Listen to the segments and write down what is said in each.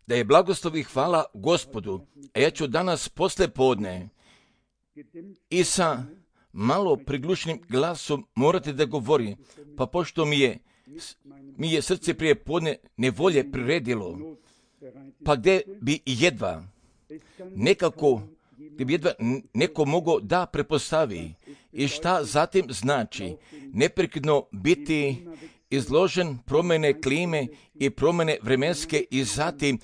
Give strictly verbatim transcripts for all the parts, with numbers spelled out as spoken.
Da je blagoslov i hvala Gospodu, a ja ću danas posle podne i sa malo priglušenim glasom morati da govori, pa pošto mi je, mi je srce prije podne nevolje priredilo, pa gdje bi jedva nekako, gdje bi jedva neko mogao da prepostavi i šta zatim znači neprekidno biti izložen promjene klime i promjene vremenske i zatim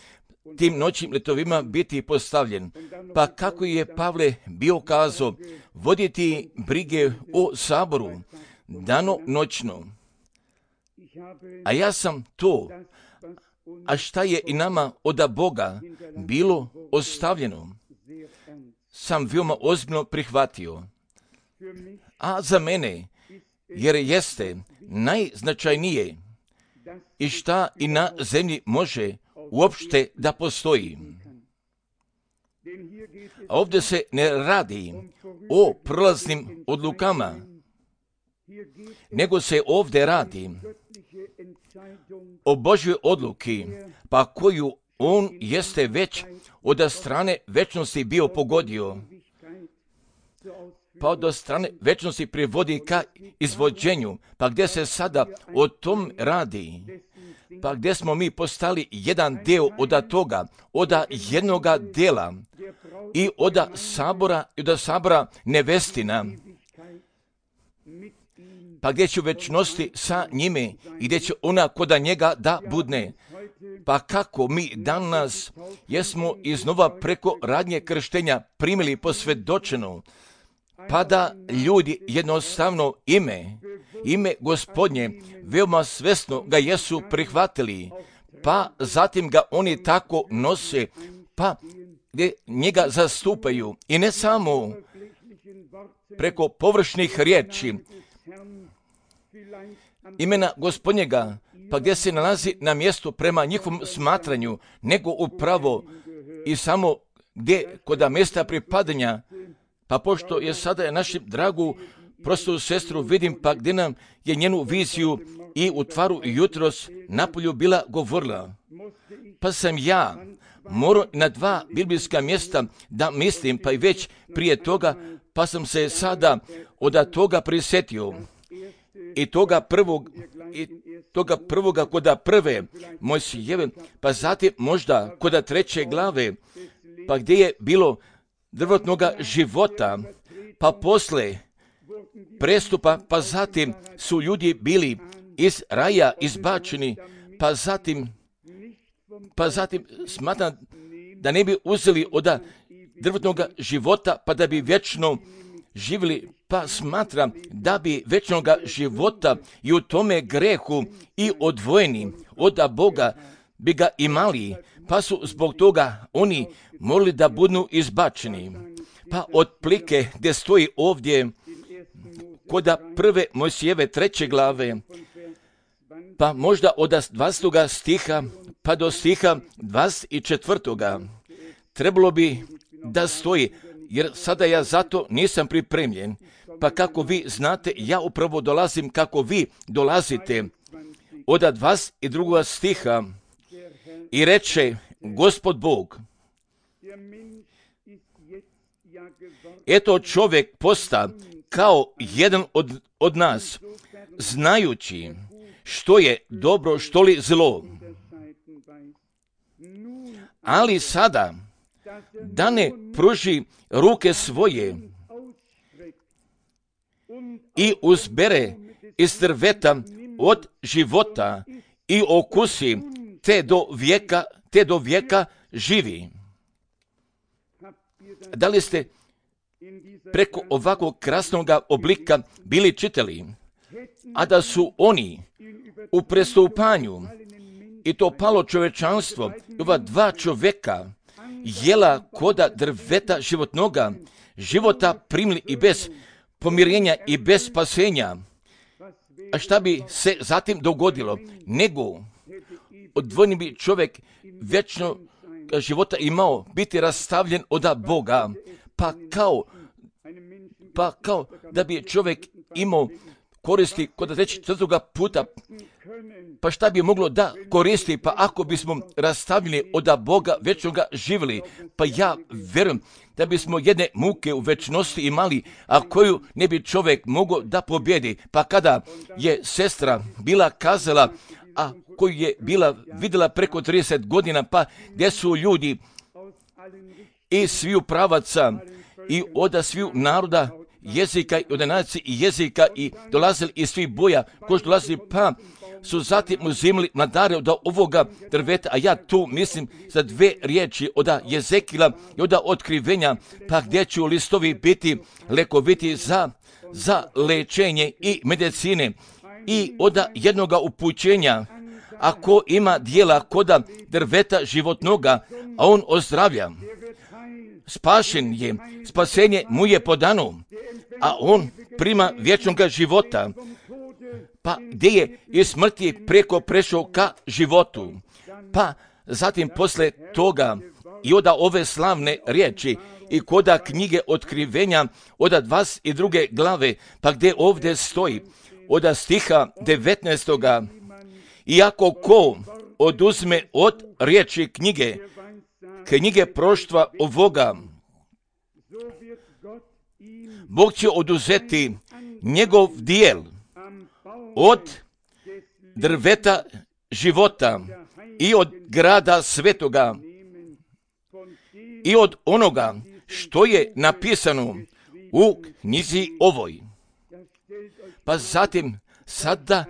tim noćnim letovima biti postavljen. Pa kako je Pavle bio kazao, voditi brige o saboru, dano noćno. A ja sam to, a šta je i nama od Boga bilo ostavljeno, sam veoma ozbiljno prihvatio. A za mene, jer jeste najznačajnije i šta i na zemlji može uopšte da postoji. A ovdje se ne radi o prolaznim odlukama, nego se ovdje radi o Božjoj odluki, pa koju on jeste već od strane večnosti bio pogodio, pa od strane večnosti privodi ka izvođenju, pa gdje se sada o tom radi, pa gdje smo mi postali jedan deo od toga, od jednoga dela i od sabora, i od sabora nevestina, pa gdje će u večnosti sa njime i gdje će ona koda njega da budne. Pa kako mi danas jesmo iznova preko radnje krštenja primili posvjedočeno, pa da ljudi jednostavno ime, ime Gospodnje, veoma svesno ga jesu prihvatili, pa zatim ga oni tako nose, pa gdje njega zastupaju. I ne samo preko površnih riječi, imena Gospodnjega, pa gdje se nalazi na mjestu prema njihovom smatranju, nego upravo i samo gdje kod mjesta pripadanja, pa pošto je sada našu dragu prostu sestru vidim, pa gdje nam je njenu viziju i u tvaru jutros napolju bila govorila, pa sam ja morao na dva biblijska mjesta da mislim, pa i već prije toga, pa sam se sada od toga prisjetio. I toga prvog, i toga prvoga koda prve Mojsijeve, pa zatim možda koda treće glave, pa gdje je bilo drvotnoga života, pa posle prestupa, pa zatim su ljudi bili iz raja izbačeni, pa zatim, pa zatim smatram da ne bi uzeli od drvotnoga života, pa da bi vječno živjeli, pa smatram da bi večnoga života i u tome grehu i odvojeni od Boga bi ga imali, pa su zbog toga oni morali da budu izbačeni. Pa otplike gdje stoji ovdje kod prve Mojsijeve treće glave, pa možda od dvadestog stiha pa do stiha dvadeset četvrtoga trebalo bi da stoji, jer sada ja zato nisam pripremljen. Pa kako vi znate, ja upravo dolazim kako vi dolazite. Od dvadeset drugog stiha i reče Gospod Bog, eto čovjek posta kao jedan od, od nas, znajući što je dobro, što li zlo. Ali sada, da ne pruži ruke svoje i uzbere iz drveta od života i okusi, te do vijeka, te do vijeka živi. Da li ste preko ovakvog krasnog oblika bili čitali, a da su oni u prestupanju i to palo čovečanstvo, ova dva čovjeka jela koda drveta životnoga, života primili i bez pomirenja i bez spasenja. A šta bi se zatim dogodilo? Nego odvojeni bi čovjek vječno života imao biti rastavljen od Boga, pa kao, pa kao da bi čovjek imao koristi kod trećeg četvrtoga puta. Pa šta bi moglo da koristi? Pa ako bismo rastavili od Boga večnoga živjeli, pa ja vjerujem da bismo jedne muke u večnosti imali, a koju ne bi čovjek mogao da pobjedi. Pa kada je sestra bila kazala, a koju je bila vidjela preko trideset godina, pa gdje su ljudi i sviju pravaca i od sviju naroda, jezika i od nacije i jezika i dolazili iz svih boja, koji su dolazili, pa su zatim uzimali mladare od ovoga drveta, a ja tu mislim za dve riječi od Jezekila i od otkrivenja, pa gdje će listovi biti lekoviti za, za lečenje i medicine i od jednoga upućenja, ako ima dijela koda drveta životnoga, a on ozdravlja. Spašen je, spasenje mu je podano, a on prima vječnoga života. Pa gdje je iz smrti preko prešao ka životu. Pa zatim posle toga i od ove slavne riječi i koda knjige otkrivenja od dvadeset druge glave, pa gdje ovdje stoji od stiha devetnaestoga. Iako ko oduzme od riječi knjige, knjige proštva ovoga, Bog će oduzeti njegov dijel od drveta života i od grada svetoga i od onoga što je napisano u knjizi ovoj. Pa zatim sada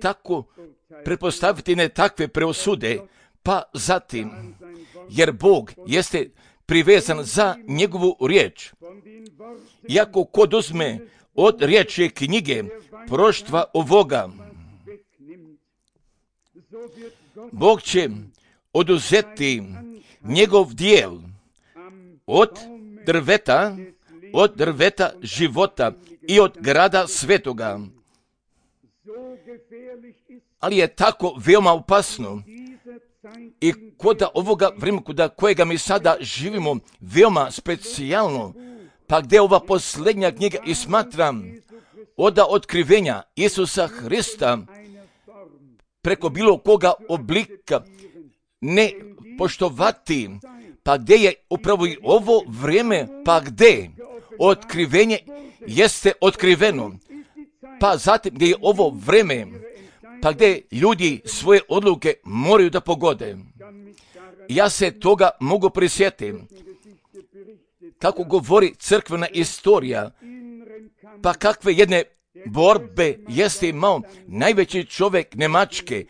tako pretpostaviti ne takve preosude, pa zatim, jer Bog jeste privezan za njegovu riječ. Iako kod uzme od riječi knjige proštva ovoga, Bog će oduzeti njegov dijel od drveta, od drveta života i od grada svetoga. Ali je tako veoma opasno i kod ovoga vremena kod kojega mi sada živimo veoma specijalno, pa gdje ova posljednja knjiga i smatram od otkrivenja Isusa Hrista preko bilo koga oblika ne poštovati, pa gdje je upravo i ovo vrijeme, pa gdje otkrivenje jeste otkriveno, pa zatim gdje je ovo vrijeme, pa gdje ljudi svoje odluke moraju da pogode. Ja se toga mogu prisjetiti, kako govori crkvena istorija, pa kakve jedne borbe jeste imao najveći čovjek Njemačke,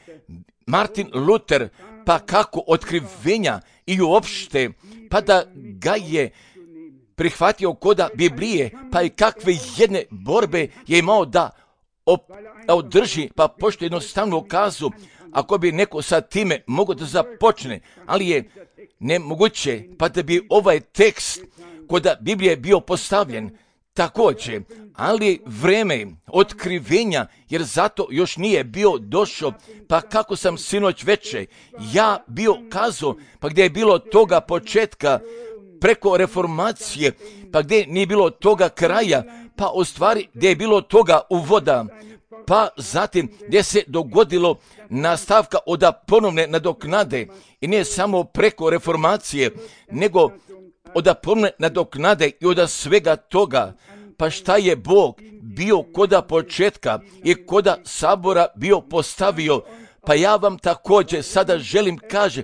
Martin Luther, pa kako otkrivenja i uopšte, pa da ga je prihvatio koda Biblije, pa i kakve jedne borbe je imao da op, održi, pa pošto jednostavno kazu, ako bi neko sa time mogao da započne, ali je nemoguće, pa da bi ovaj tekst koda Biblije bio postavljen također, ali vreme otkrivenja, jer zato još nije bio došao, pa kako sam sinoć veče, ja bio kazao, pa gdje je bilo toga početka, preko reformacije, pa gdje nije bilo toga kraja, pa u stvari gdje je bilo toga uvoda, pa zatim gdje se dogodilo nastavka od ponovne nadoknade, i ne samo preko reformacije, nego od ponovne nadoknade i od svega toga. Pa šta je Bog bio koda početka i koda sabora bio postavio, pa ja vam također sada želim kaže,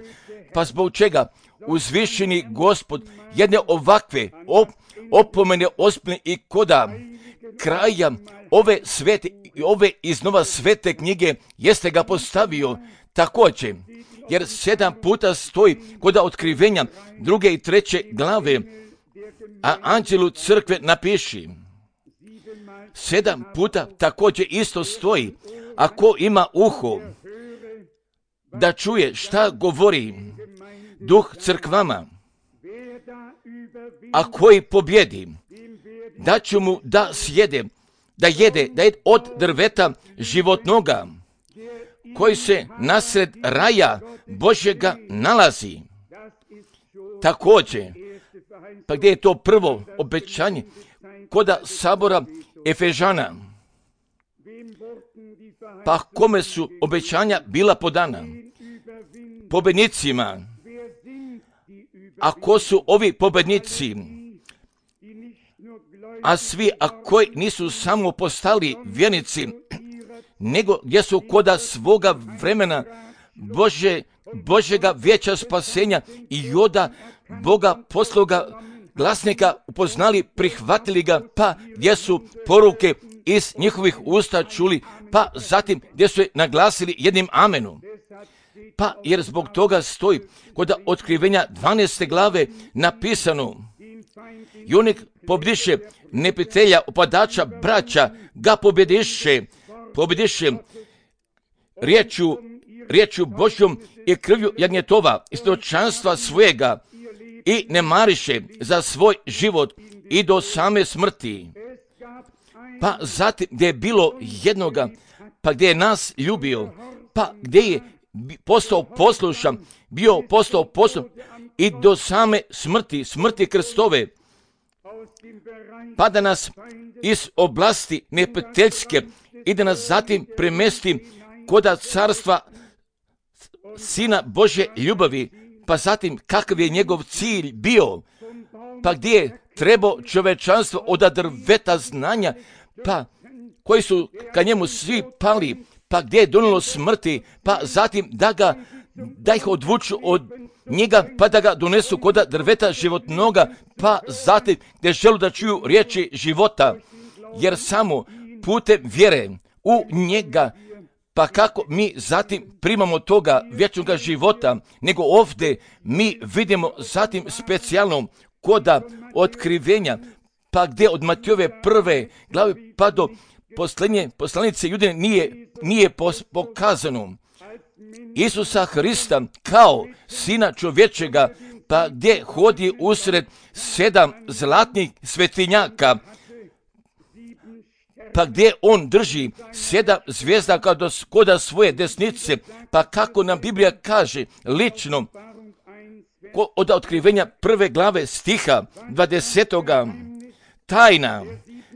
pa zbog čega uzvišeni Gospod jedne ovakve op, opomene ospne i koda kraja ove svete i ove iznova svete knjige jeste ga postavio također, jer sedam puta stoji koda otkrivenja druge i treće glave, a anđelu crkve napiši. Sedam puta također isto stoji, ako ima uho da čuje šta govori Duh crkvama, a koji pobjedi, da će mu da sjede, da jede, da jede od drveta životnoga, koji se nasred raja Božjega nalazi. Također, pa gdje je to prvo obećanje? Koda sabora Efežana. Pa kome su obećanja bila podana? Pobednicima. A ko su ovi pobednici? A svi, a koji nisu samo postali vjernici, nego gdje su koda svoga vremena Bože, Božega vijeća spasenja i joda Boga posloga glasnika upoznali, prihvatili ga, pa gdje su poruke iz njihovih usta čuli, pa zatim gdje su je naglasili jednim amenom. Pa jer zbog toga stoji kod otkrivenja dvanaeste glave napisano: Junik pobjediše neprijatelja, opadača, braća, ga pobjediše, pobjediše riječu, riječu Božjom i krvlju jagnjetova, istočanstva svojega, i ne mariše za svoj život i do same smrti. Pa zatim gdje je bilo jednoga, pa gdje je nas ljubio, pa gdje je postao poslušan, bio postao poslušan i do same smrti, smrti Kristove, pa da nas iz oblasti neprijateljske i da nas zatim premesti koda carstva Sina Božje ljubavi, pa zatim kakav je njegov cilj bio, pa gdje je trebao čovečanstvo od drveta znanja, pa koji su ka njemu svi pali, pa gdje je donijelo smrti, pa zatim da ga, da ih odvuču od njega, pa da ga donesu koda drveta životnoga, pa zatim gdje želu da čuju riječi života, jer samo putem vjere u njega, pa kako mi zatim primamo toga vječnoga života, nego ovdje mi vidimo zatim specijalno koda otkrivenja, pa gdje od Matijove prve glave pa do posljednje poslanice Judine nije, nije pokazano Isusa Hrista kao Sina čovječega, pa gdje hodi usred sedam zlatnih svetinjaka, pa gdje on drži sedam zvijezda koda svoje desnice, pa kako nam Biblija kaže lično od otkrivenja prve glave stiha dvadesetoga, tajna,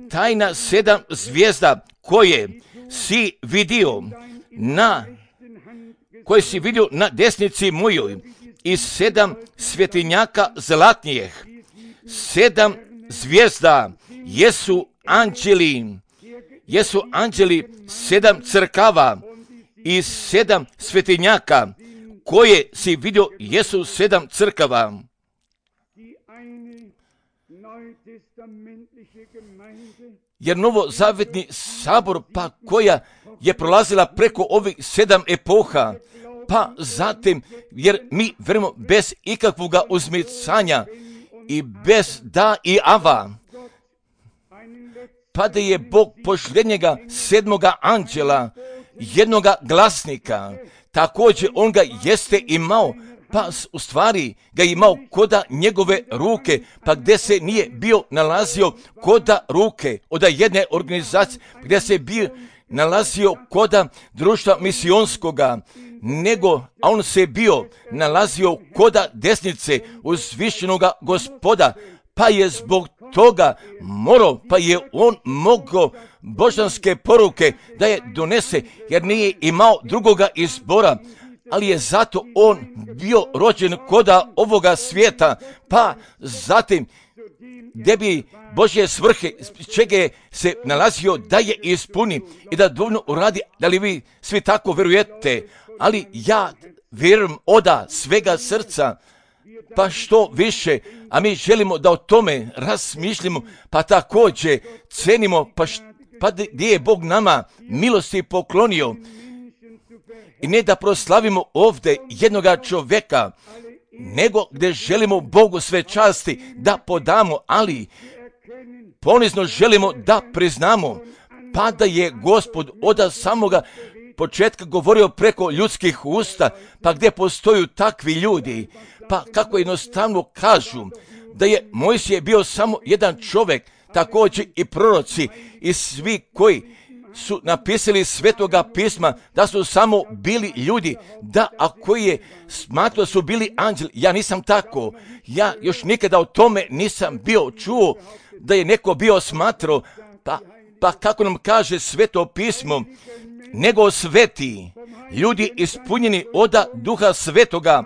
tajna sedam zvijezda koje si vidio na, koje si vidio na desnici mojoj, i sedam svetinjaka zlatnijih. Sedam zvijezda jesu anđeli, jesu anđeli sedam crkava, i sedam svetinjaka koje si vidio jesu sedam crkava. Jer novozavetni sabor, pa koja je prolazila preko ovih sedam epoha, pa zatim, jer mi vjerujemo bez ikakvoga uzmicanja i bez da i ava, pa da je Bog pošljednjega sedmoga anđela, jednoga glasnika, također on ga jeste imao, pa u stvari ga imao koda njegove ruke, pa gdje se nije bio nalazio koda ruke od jedne organizacije, gdje se bio nalazio koda društva misionskoga, nego, a on se bio nalazio koda desnice uzvišenoga Gospoda, pa je zbog toga morao, pa je on mogao božanske poruke da je donese, jer nije imao drugoga izbora, ali je zato on bio rođen koda ovoga svijeta, pa zatim gdje bi Božje svrhe, čega je se nalazio da je ispuni i da dovoljno uradi, da li vi svi tako vjerujete, ali ja vjerujem oda svega srca, pa što više, a mi želimo da o tome razmišljamo, pa također cenimo, pa, št, pa gdje je Bog nama milosti poklonio, i ne da proslavimo ovdje jednoga čovjeka, nego gdje želimo Bogu sve časti da podamo, ali ponizno želimo da priznamo, pa da je Gospod od samoga početka govorio preko ljudskih usta, pa gdje postoju takvi ljudi, pa kako jednostavno kažu da je Mojsije bio samo jedan čovjek, također i proroci i svi koji su napisali svetoga pisma, da su samo bili ljudi, da ako je smatrao su bili anđeli. Ja nisam tako, ja još nikada o tome nisam bio čuo da je neko bio smatrao, pa Pa kako nam kaže Sveto pismo, nego sveti, ljudi ispunjeni oda Duha Svetoga,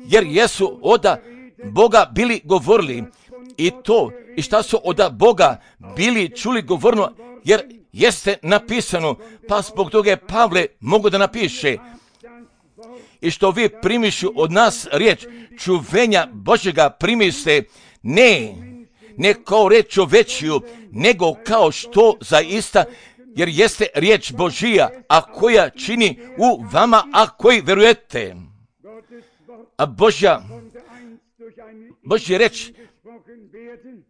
jer jesu oda Boga bili govorili. I to, i šta su oda Boga bili čuli govorno, jer jeste napisano, pa zbog toga je Pavle mogu da napiše. I što vi primišu od nas riječ čuvenja Božjega primiste, ne, ne kao riječ čovečiju, nego kao što zaista, jer jeste riječ Božija, a koja čini u vama, a koji verujete. A Božja, Božja riječ,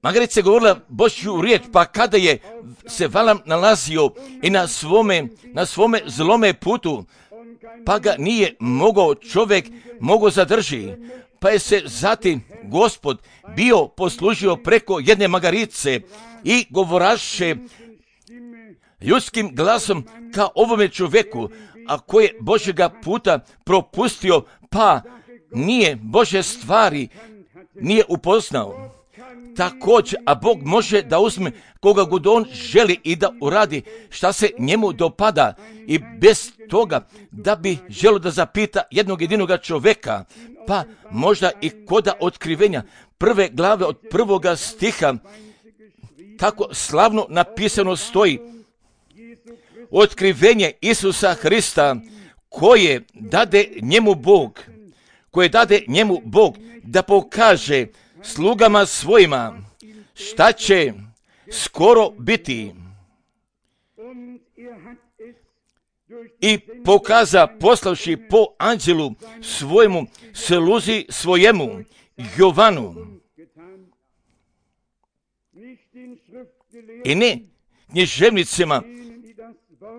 Margaret se govorila Božju riječ, pa kada je se Valam nalazio i na svome, na svome zlome putu, pa ga nije mogao čovjek mogao zadrži, pa je se zatim Gospod bio poslužio preko jedne magarice i govoraše ljudskim glasom ka ovome čovjeku, a koje Božjega puta propustio, pa nije Božje stvari nije upoznao. Također, a Bog može da uzme koga god on želi i da uradi šta se njemu dopada, i bez toga da bi želio da zapita jednog jedinoga čovjeka, pa možda i koda otkrivenja prve glave od prvoga stiha, kako slavno napisano stoji, otkrivenje Isusa Hrista, koje dade njemu Bog, koje dade njemu Bog da pokaže slugama svojima šta će skoro biti. I pokaza poslavši po anđelu svojemu sluzi svojemu Jovanu. I ne književnicima,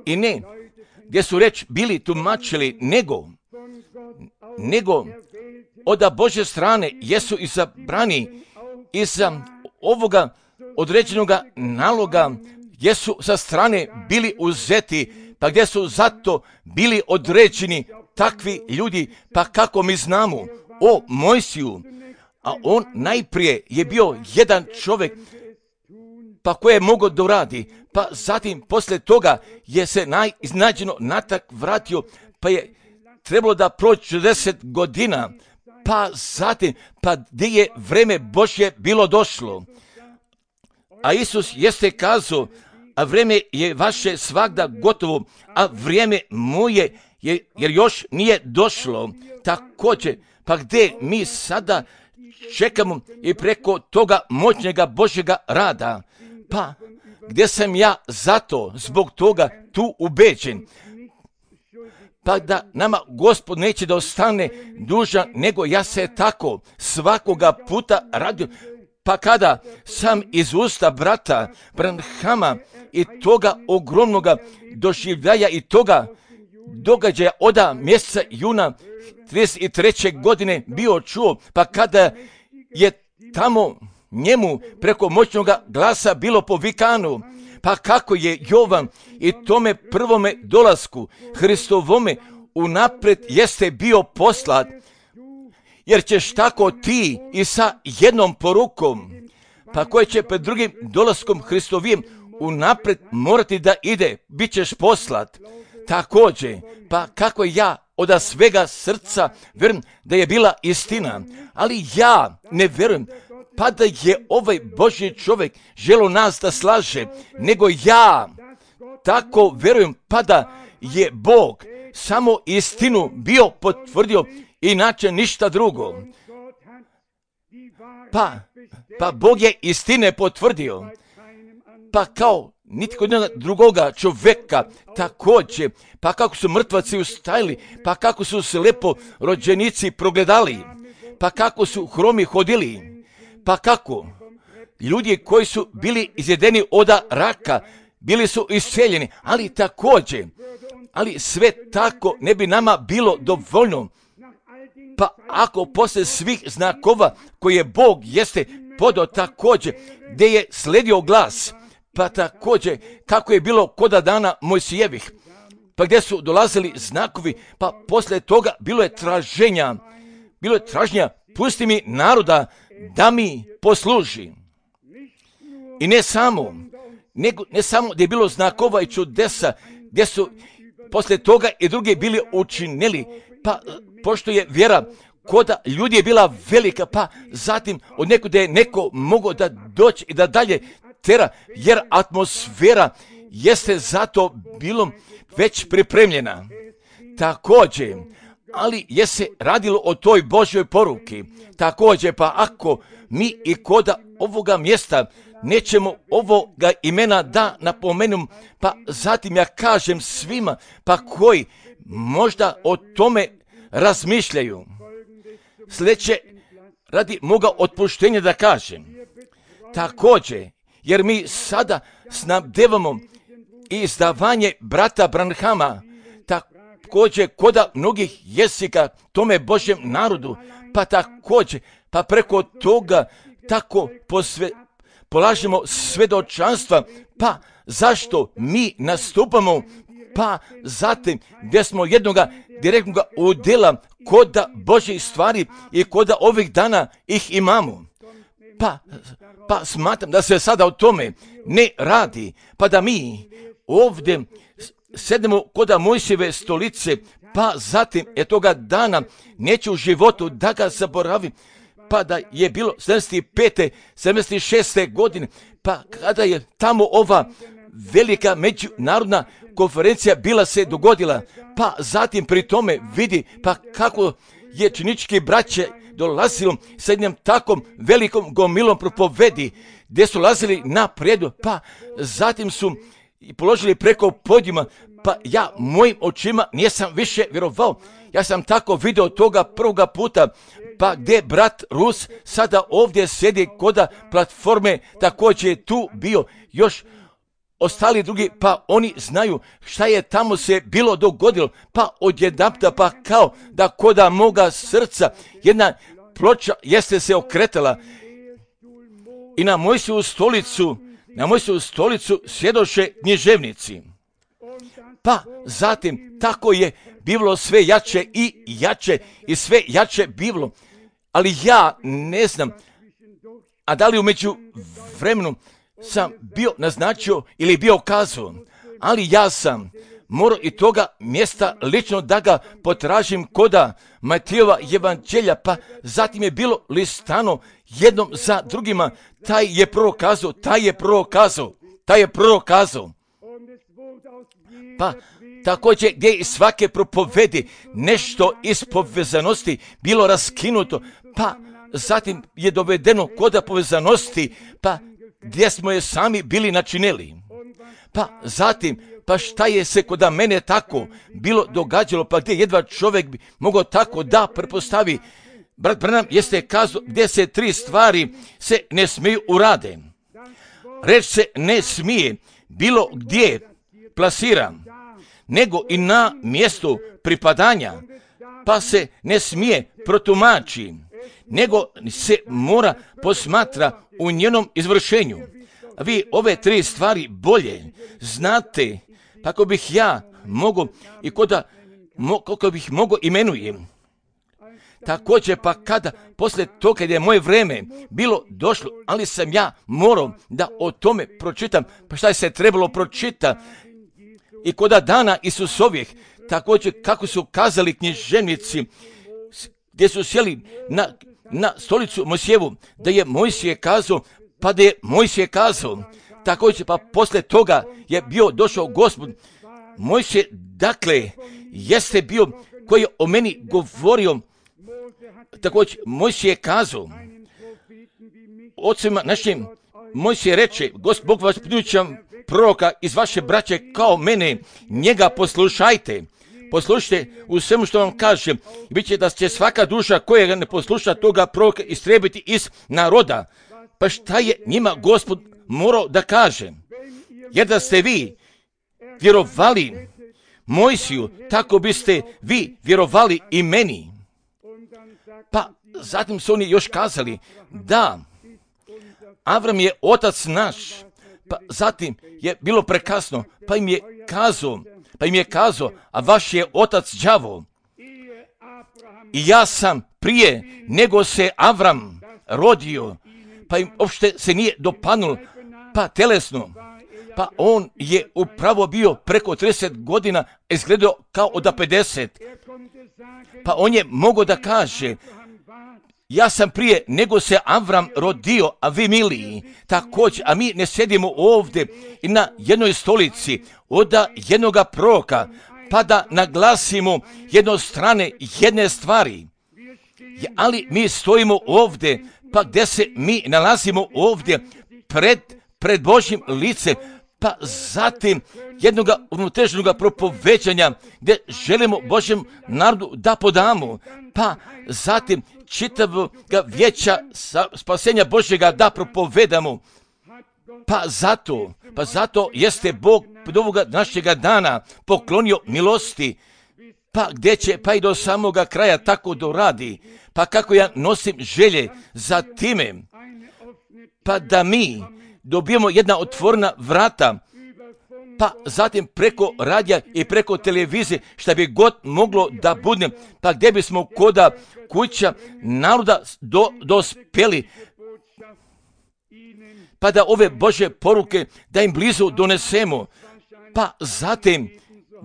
i ne gdje su reč bili tumačili, nego, nego od Božje strane jesu izabrani iza ovoga određenoga naloga, jesu sa strane bili uzeti, pa gdje su zato bili određeni takvi ljudi, pa kako mi znamo o Mojsiju, a on najprije je bio jedan čovjek, pa koje je mogao da uradi, pa zatim poslije toga je se najiznađeno natak vratio, pa je trebalo da proći četrdeset godina, pa zatim, pa gdje je vreme Božje bilo došlo. A Isus jeste kazao, a vreme je vaše svagda gotovo, a vrijeme moje je, jer još nije došlo. Također, pa gdje mi sada čekamo i preko toga moćnjega Božjega rada, pa gdje sam ja zato, zbog toga tu ubeđen, pa da nama Gospod neće da ostane dužan, nego ja se tako svakoga puta radio, pa kada sam iz usta brata Branhama i toga ogromnoga doživljaja i toga događaja oda mjeseca juna trideset treće godine bio čuo, pa kada je tamo njemu preko moćnoga glasa bilo povikano, pa kako je Jovan i tome prvome dolasku Hristovome unaprijed jeste bio poslat, jer ćeš tako ti i sa jednom porukom, pa koje će pred drugim dolaskom Hristovijem unaprijed morati da ide, bit ćeš poslat. Također, pa kako ja od svega srca vjerujem da je bila istina, ali ja ne vjerujem pa da je ovaj Božji čovjek želo nas da slaže, nego ja tako vjerujem pa da je Bog samo istinu bio potvrdio, inače ništa drugo. Pa, pa Bog je istine potvrdio, pa kao nitko drugoga čovjeka također, pa kako su mrtvaci ustajili, pa kako su se lepo rođenici progledali, pa kako su hromi hodili, pa kako ljudi koji su bili izjedeni od raka, bili su isceljeni, ali također, ali sve tako ne bi nama bilo dovoljno. Pa ako poslije svih znakova koje Bog jeste podao također, gdje je sledio glas, pa također kako je bilo koda dana Mojsijevih, pa gdje su dolazili znakovi, pa poslije toga bilo je traženja, bilo je traženja, pusti mi naroda da mi posluži. I ne samo, nego, ne samo da je bilo znakova i čudesa, gdje su poslije toga i drugi bili učinili, pa pošto je vjera koda ljudi je bila velika, pa zatim od nekuda je neko mogao da doći i da dalje tera, jer atmosfera jeste zato bilo već pripremljena. Također, ali je se radilo o toj Božjoj poruki. Također, pa ako mi i koda ovoga mjesta nećemo ovoga imena da napomenem, pa zatim ja kažem svima, pa koji možda o tome razmišljaju. Sljedeće, radi moga otpuštenja da kažem. Također, jer mi sada snabdevamo izdavanje brata Branhama, također koda mnogih jezika tome Božjem narodu, pa također, pa preko toga tako posve, polažemo svjedočanstva, pa zašto mi nastupamo, pa zatim gdje smo jednoga direktnog udjela koda Božjih stvari i koda ovih dana ih imamo. Pa, pa smatram da se sada o tome ne radi, pa da mi ovdje sednemo koda Mojsijeve stolice, pa zatim je toga dana neću u životu da ga zaboravim, pa da je bilo sedamdeset pete sedamdeset šeste godine, pa kada je tamo ova velika međunarodna konferencija bila se dogodila, pa zatim pri tome vidi pa kako je činički braće dolazilo sa jednom takom velikom gomilom propovedi, gdje su lazili naprijed, pa zatim su položili preko podijuma, pa ja mojim očima nisam više vjerovao. Ja sam tako vidio toga prvoga puta, pa gdje brat Rus sada ovdje sjedi koda platforme, također je tu bio još ostali drugi, pa oni znaju šta je tamo se bilo dogodilo, pa odjedanputa pa kao da koda moga srca jedna ploča jeste se okretala i na Mojsijevu stolicu, na Mojsijevu stolicu sjedoše književnici. Pa zatim tako je bivalo sve jače i jače i sve jače bivalo, ali ja ne znam, a da li umeđu vremenu sam bio naznačio ili bio kazao, ali ja sam morao i toga mjesta lično da ga potražim koda Matijeva evanđelja, pa zatim je bilo listano jednom za drugima, taj je prorokazao, taj je prorokazao, taj je prorokazao. Pa također gdje iz svake propovedi nešto iz povezanosti bilo raskinuto, pa zatim je dovedeno koda povezanosti, pa gdje smo je sami bili načinili. Pa zatim, pa šta je se koda mene tako bilo događalo, pa gdje jedva čovjek bi mogao tako da prepostavi. Brat Branham jeste kazao gdje se tri stvari se ne smiju urade. Reč se ne smije bilo gdje plasira, nego i na mjestu pripadanja, pa se ne smije protumači, nego se mora posmatra u njenom izvršenju. A vi ove tri stvari bolje znate, tako bih ja mogao i koda, mo, koliko bih mogao imenujem. Također pa kada, poslije toga kad je moje vrijeme bilo došlo, ali sam ja morao da o tome pročitam, pa šta je se trebalo pročitati, i koda dana Isusovih, također kako su kazali književnici, gdje su sjeli na, na stolicu Mojsijevu, da je Mojsije kazao, pa da je Mojsije kazao, također pa poslije toga je bio došao Gospod. Mojsije, dakle, jeste bio koji je o meni govorio, također Mojsije kazao, ocima našim, Mojsije reče, Gospod Bog vas pljučam proroka iz vaše braće kao mene, njega poslušajte. Poslušajte u svemu što vam kažem, bit će da će svaka duša koja ga ne posluša toga proroka istrebiti iz naroda. Pa šta je njima Gospod morao da kaže? Jer da ste vi vjerovali Mojsiju, tako biste vi vjerovali i meni. Pa zatim su oni još kazali da Avram je otac naš, pa zatim je bilo prekasno, pa im je kazao, pa im je kazao, a vaš je otac đavo. I ja sam prije nego se Avram rodio, pa im uopšte se nije dopadnulo, pa telesno, pa on je upravo bio preko trideset godina, izgledao kao od pedeset. Pa on je mogao da kaže, ja sam prije nego se Avram rodio, a vi miliji, također, a mi ne sjedimo ovdje i na jednoj stolici od jednoga proroka, pa da naglasimo jednostrane jedne stvari. Ali mi stojimo ovdje, pa gdje se mi nalazimo ovdje pred, pred Božjim licem, pa zatim jednoga unutrašnjega propoveđanja gdje želimo Božjem narodu da podamo, pa zatim čitavog vijeća spasenja Božjega da propovedamo. Pa zato, pa zato jeste Bog od ovoga našega dana poklonio milosti, pa gdje će pa i do samoga kraja tako doradi, pa kako ja nosim želje za time, pa da mi dobijemo jedna otvorena vrata, pa zatim preko radija i preko televizije, šta bi god moglo da bude, pa gdje bismo koda kuća naroda do, dospjeli, pa da ove Božje poruke da im blizu donesemo, pa zatim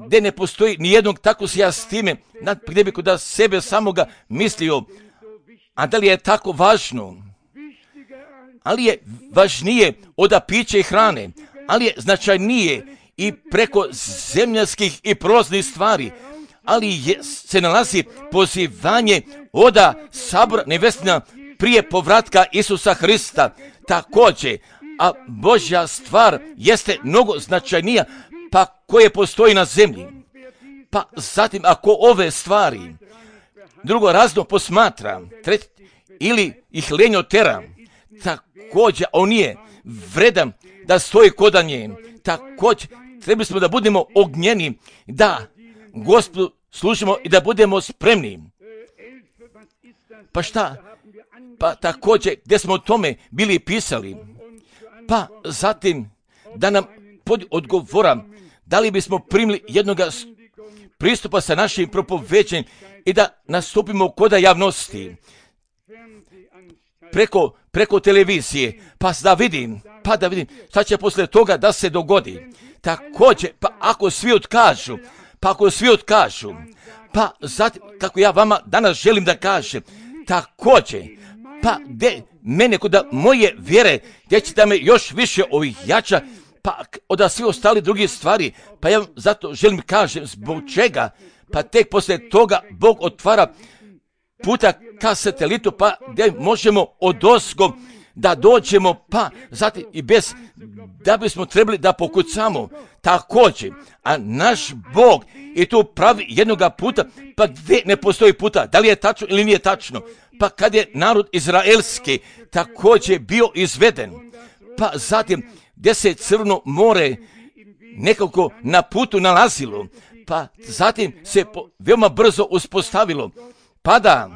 gdje ne postoji nijednog, tako se ja s time, gdje bi kod sebe samoga mislio, a da li je tako važno? Ali je važnije od pića i hrane, ali je značajnije i preko zemljanskih i prolaznih stvari, ali je, se nalazi pozivanje oda sabora nevestina prije povratka Isusa Hrista također, a Božja stvar jeste mnogo značajnija, pa koje postoji na zemlji. Pa zatim ako ove stvari drugo razno posmatra tret, ili ih lenjo tera, također on nije vredan da stoji koda nje. Također trebali smo da budemo ognjeni, da Gospodu služimo i da budemo spremni. Pa šta? Pa također gdje smo o tome bili pisali, pa zatim da nam pod odgovora da li bismo primili jednog pristupa sa našim propoveđenjem i da nastupimo koda javnosti preko, preko televizije, pa da vidim, pa da vidim šta će poslije toga da se dogodi. Također, pa ako svi otkažu, pa ako svi otkažu, pa zatim, kako ja vama danas želim da kažem, također, pa gdje mene kod moje vjere, gdje će da me još više ojača, pa od svi ostali drugi stvari, pa ja zato želim kažem zbog čega, pa tek poslije toga Bog otvara puta ka satelitu, pa gdje možemo odozgo da dođemo, pa zatim i bez, da bismo trebali da pokucamo također, a naš Bog i tu pravi jednoga puta, pa gdje ne postoji puta, da li je tačno ili nije tačno, pa kad je narod izraelski također bio izveden, pa zatim gdje se Crno more nekako na putu nalazilo, pa zatim se po, veoma brzo uspostavilo, pa da,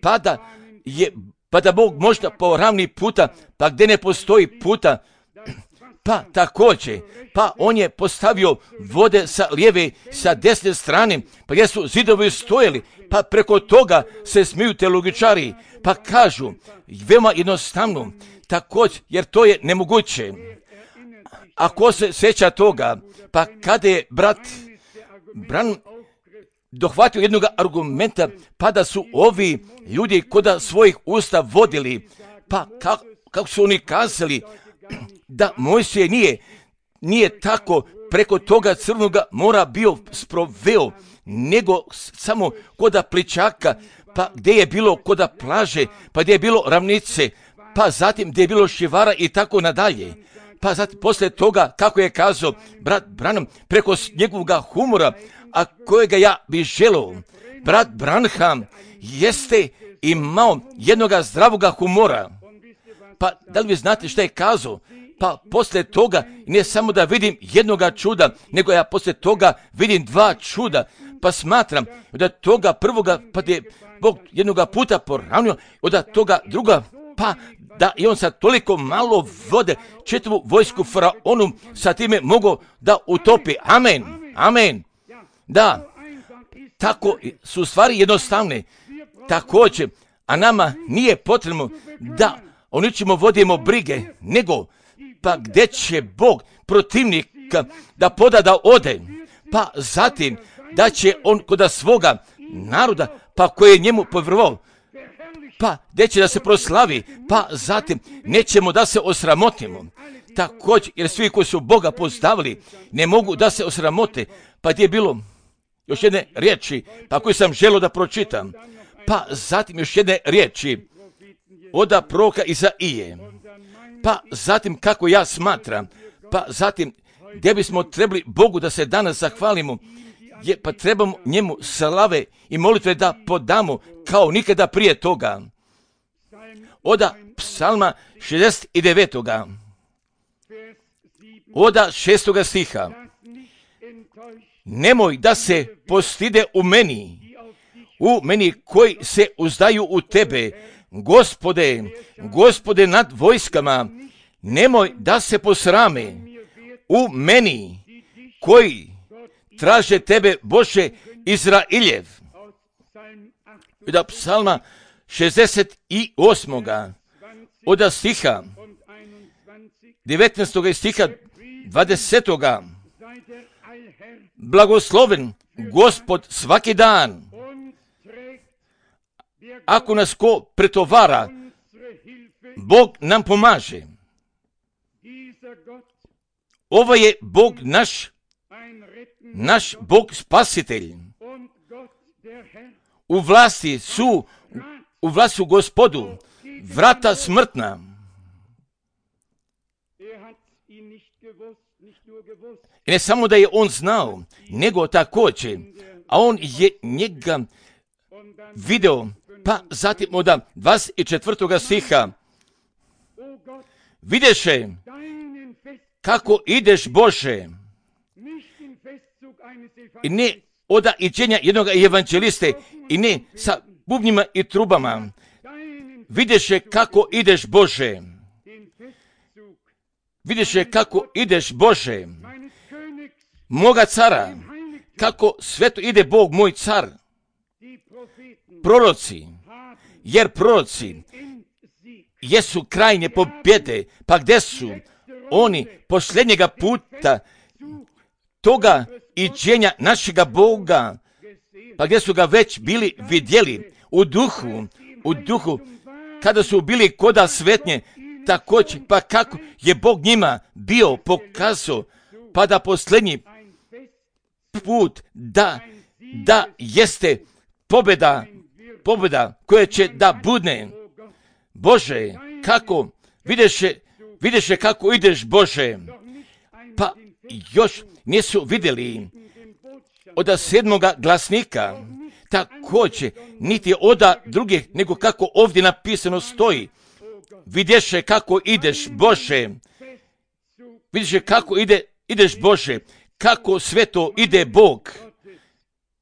pa da je, pa da Bog možda po ravni puta, pa gdje ne postoji puta, pa također, pa on je postavio vode sa lijeve, sa desne strane, pa gdje su zidovi stojali, pa preko toga se smiju teologičari, pa kažu, veoma jednostavno, također, jer to je nemoguće. Ako se sjeća toga, pa kada je brat Bran dohvatio jednog argumenta, pa da su ovi ljudi koda svojih usta vodili, pa kako, kako su oni kazali, da Mojsije nije, nije tako preko toga Crnoga mora bio sproveo, nego samo koda pličaka, pa gdje je bilo koda plaže, pa gdje je bilo ravnice, pa zatim gdje je bilo šivara i tako nadalje. Pa zatim poslije toga, kako je kazao brat Branham, preko njegovog humora, a kojega ja bih želeo, brat Branham jeste imao jednoga zdravoga humora. Pa da li vi znate šta je kazao? Pa poslije toga ne samo da vidim jednoga čuda, nego ja poslije toga vidim dva čuda. Pa smatram da toga prvoga, pa je Bog jednoga puta poravnio, od toga druga, pa da je on sa toliko malo vode čitavu vojsku faraonu sa time mogao da utopi. Amen, amen. Da, tako su stvari jednostavne. Također, a nama nije potrebno da o ničemu vodimo brige, nego pa gdje će Bog protivnika da poda da ode, pa zatim da će on kod svoga naroda, pa koji je njemu povjerovao, pa gdje će da se proslavi, pa zatim nećemo da se osramotimo. Također, jer svi koji su Boga postavili ne mogu da se osramote, pa gdje je bilo još jedne riječi, pa koju sam želio da pročitam, pa zatim još jedne riječi oda proroka Izaije, pa zatim kako ja smatram, pa zatim gdje bismo trebali Bogu da se danas zahvalimo, je, pa trebamo njemu slave i molitve da podamo kao nikada prije toga. Oda psalma šezdeset devet. Oda šestoga stiha. Nemoj da se postide u meni, u meni koji se uzdaju u tebe, Gospode, Gospode nad vojskama, nemoj da se posrame u meni koji traže tebe, Bože Izrailjev. Od psalma šezdeset osam. Od stiha devetnaestog stiha dvadesetog. Blagosloven Gospod svaki dan. Ako nas ko pretovara, Bog nam pomaže. Ovo je Bog naš, naš Bog spasitelj. U vlasti su, u vlasti su Gospodu vrata smrtna. I ne samo da je on znao, nego također, a on je njega video, pa zatim od dvadeset četvrtog stiha. Videše kako ideš, Bože, i ne oda iđenja jednog evanđeliste, i ne sa bubnjima i trubama. Videše kako ideš, Bože. Videše kako ideš, Bože, moga cara, kako sveto ide Bog, moj car. Proroci, jer proroci jesu krajnje pobjede, pa gdje su oni posljednjega puta toga iđenja našega Boga, pa gdje su ga već bili vidjeli u duhu, u duhu, kada su bili koda svetnje, također, pa kako je Bog njima bio pokazao, pa da posljednji put, da, da jeste pobjeda, pobjeda koja će da budne. Bože, kako, videše, videše kako ideš, Bože, pa još nisu vidjeli od sedmoga glasnika, također, niti od drugih, nego kako ovdje napisano stoji. Vidješe kako ideš, Bože, vidiše kako ide, ideš, Bože, kako sveto ide Bog,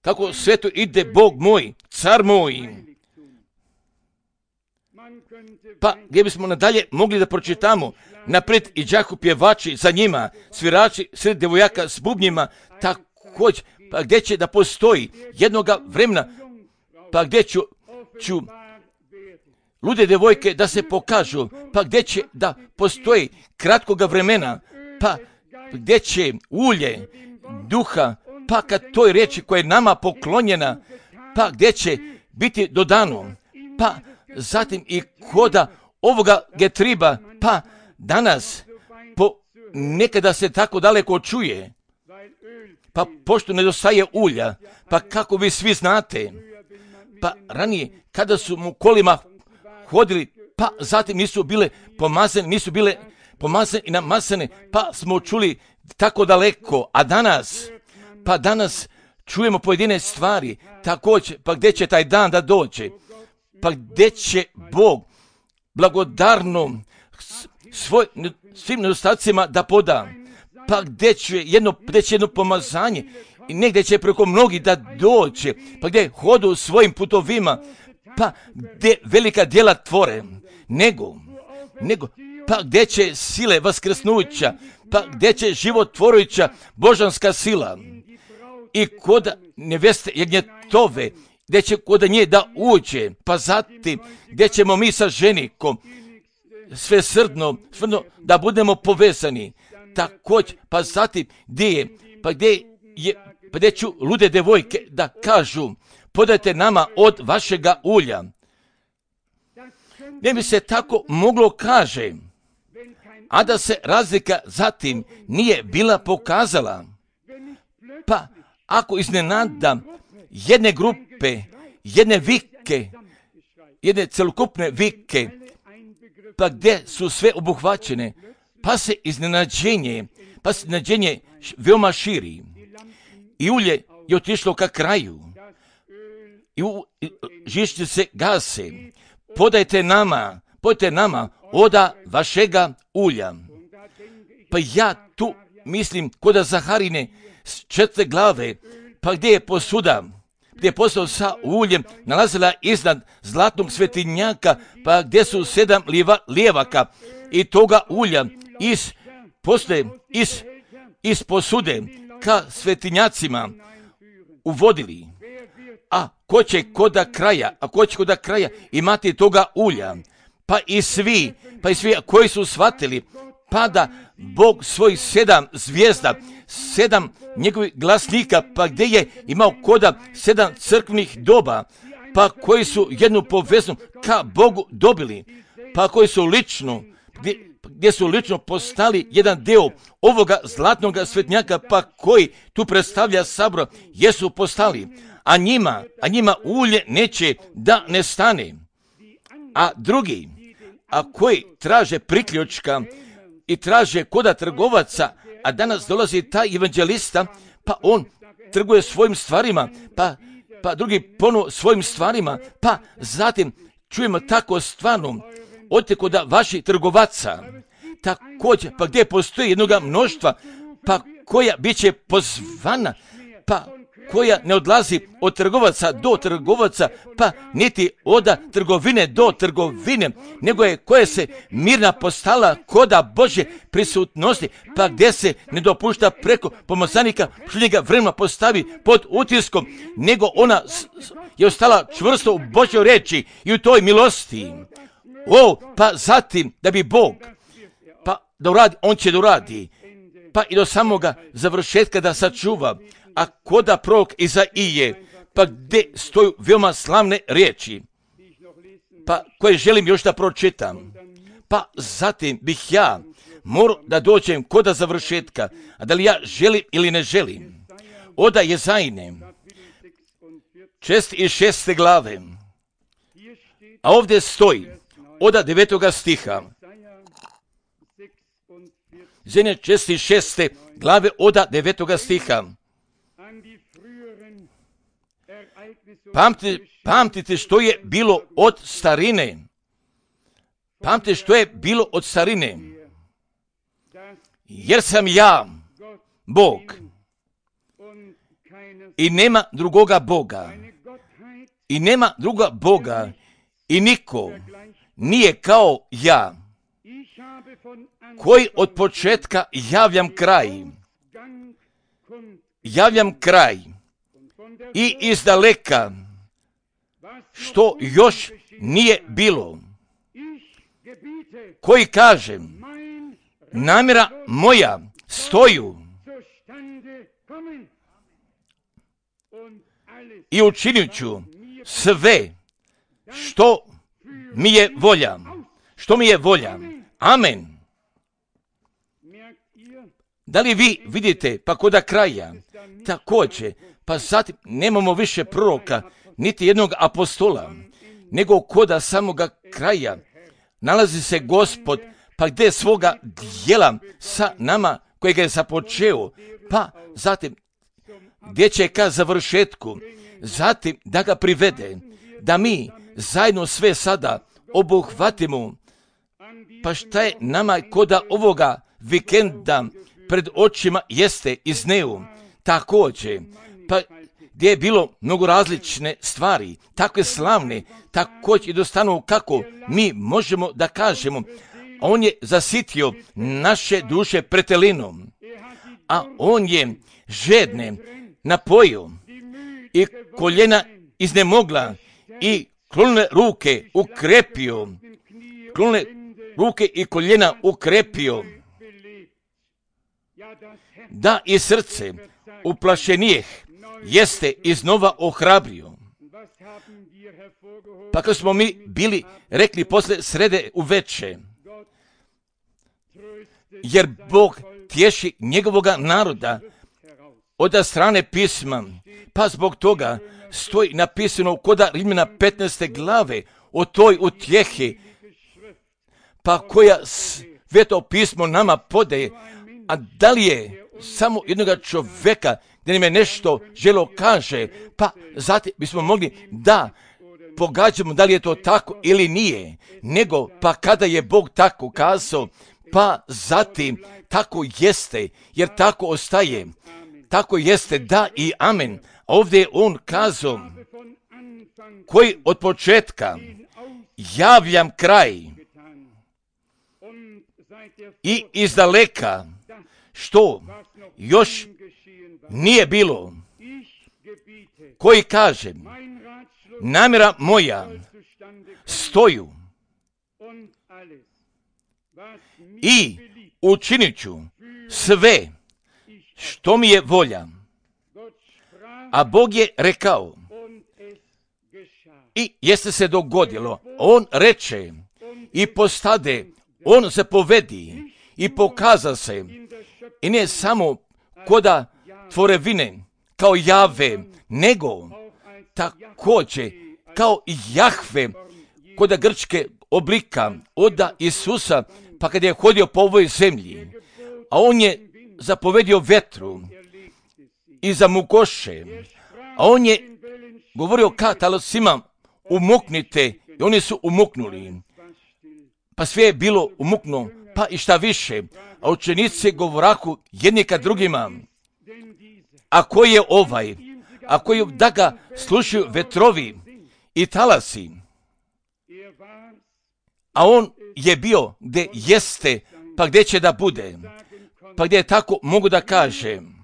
kako sveto ide Bog moj, car moj. Pa gdje bismo nadalje mogli da pročitamo, naprijed i đaku pjevači za njima, svirači sred devojaka s bubnjima, također, pa gdje će da postoji jednoga vremena, pa gdje ću, ću lude devojke da se pokažu, pa gdje će da postoji kratkoga vremena, pa gdje će ulje duha, pa kad toj riječi koja je nama poklonjena, pa gdje će biti dodano, pa zatim i koda ovoga getriba, pa danas po nekada se tako daleko čuje, pa pošto nedostaje ulja, pa kako vi svi znate, pa ranije kada su mu kolima hodili, pa zatim nisu bile pomazane, nisu bile pomazane i namazane, pa smo čuli tako daleko, a danas, pa danas čujemo pojedine stvari, također, pa gdje će taj dan da dođe, pa gdje će Bog blagodarno svoj, svim nedostacima da poda, pa gdje će jedno, gdje će jedno pomazanje i negdje će preko mnogi da dođe, pa gdje hodu svojim putovima, pa gdje velika djela tvore, nego, nego, pa gdje će sile vaskrsnuća, pa gdje će životvorujuća božanska sila i kod neveste jagnjetove, gdje će kod nje da uđe, pa zatim gdje ćemo mi sa ženikom sve srdno, srdno da budemo povezani. Također, pa zatim gdje je, pa gdje je, pa gdje ću lude devojke da kažu, podajte nama od vašega ulja. Ne bi se tako moglo kaže, a da se razlika zatim nije bila pokazala. Pa ako iznenada jedne grupe, jedne vike, jedne celokupne vike, pa gdje su sve obuhvaćene, pa se iznenađenje, pa se iznenađenje veoma širi. I ulje je otišlo ka kraju. I žičnice se gase. Podajte nama, podajte nama oda vašega ulja. Pa ja tu mislim kod Zaharine četiri glave, pa gdje je posuda, gdje je posao sa uljem nalazila iznad zlatnog svetinjaka, pa gdje su sedam lijeva, lijevaka i toga ulja iz posle, iz, iz posude ka svetinjacima uvodili. A ko će koda kraja, a ko će koda kraja imati toga ulja? Pa i svi, pa i svi koji su shvatili, pa da Bog svojih sedam zvijezda, sedam njegovih glasnika, pa gdje je imao koda sedam crkvenih doba, pa koji su jednu poveznu ka Bogu dobili, pa koji su lično, gdje, gdje su lično postali jedan deo ovoga zlatnog svetnjaka, pa koji tu predstavlja sabor, jesu postali, a njima, a njima ulje neće da nestane. A drugi, a koji traže priključka i traže koda trgovaca, a danas dolazi taj evanđelista, pa on trguje svojim stvarima, pa, pa drugi ponovo svojim stvarima, pa zatim čujemo tako stvarno, odite koda vaših trgovaca, također, pa gdje postoji jednoga mnoštva, pa koja bit će pozvana, pa koja ne odlazi od trgovaca do trgovaca, pa niti oda trgovine do trgovine, nego je koja se mirna postala koda Božje prisutnosti, pa gdje se ne dopušta preko pomozanika šljega vremena postavi pod utiskom, nego ona je ostala čvrsto u Božjoj reči i u toj milosti. O, pa zatim da bi Bog, pa da uradi, on će da uradi, pa i do samoga završetka da sačuva. A koda prorok Izaije, pa gdje stoju veoma slavne riječi, pa koje želim još da pročitam, pa zatim bih ja morao da dođem koda završetka, a da li ja želim ili ne želim. Oda Jezajine, šest i šeste glave, a ovdje stoji, oda devetoga stiha, Zene šest i šeste glave, oda devetoga stiha. Pamtite, pamtite što je bilo od starine. Pamtite što je bilo od starine. Jer sam ja, Bog, i nema drugoga Boga. I nema druga Boga. I niko nije kao ja, koji od početka javljam kraj. Javljam kraj. I izdaleka, što još nije bilo, koji kaže, namjera moja stoju i učinit ću sve što mi je volja, što mi je volja. Amen. Da li vi vidite, pa koda kraja, također, pa zatim nemamo više proroka, niti jednog apostola, nego koda samoga kraja nalazi se Gospod, pa gdje svoga djela sa nama kojega je započeo, pa zatim gdje će ka završetku, zatim da ga privede, da mi zajedno sve sada obuhvatimo, pa šta je nama koda ovoga vikenda pred očima jeste iz neu, također, pa gdje je bilo mnogo različne stvari, takve slavne, također i dostanu kako mi možemo da kažemo, on je zasitio naše duše pretelinom, a on je žedne napojio i koljena iznemogla i klonile ruke ukrepio, klonile ruke i koljena ukrepio, da i srce uplašenijeh jeste iznova ohrabrio. Pa kad smo mi bili rekli posle srede uveče, jer Bog tješi njegovoga naroda od strane pisma, pa zbog toga stoji napisano koda Rimljana petnaeste glave o toj utjehi, pa koja sveto pismo nama podaje, a da li je samo jednoga čovjeka da nam je nešto želo kaže, pa zatim bismo mogli da pogađamo da li je to tako ili nije, nego pa kada je Bog tako kazao, pa zatim tako jeste, jer tako ostaje, tako jeste, da i amen. Ovdje je on kazao, koji od početka javljam kraj i izdaleka, što još nije bilo, koji kaže, namjera moja stoju i učinit ću sve što mi je volja. A Bog je rekao i jeste se dogodilo. On reče i postade, on se povedi i pokaza se. I ne samo koda tvorevine kao Jave, nego također kao Jahve koda grčke oblika oda Isusa, pa kad je hodio po ovoj zemlji, a on je zapovedio vetru i zamukoše, a on je govorio ka talosima, umuknite, i oni su umuknuli, pa sve je bilo umuknuo, pa i šta više, a učenici govoraku jedni ka drugima, a ko je ovaj, a koji da ga slušaju vetrovi i talasi, a on je bio gdje jeste, pa gdje će da bude, pa gdje tako mogu da kažem,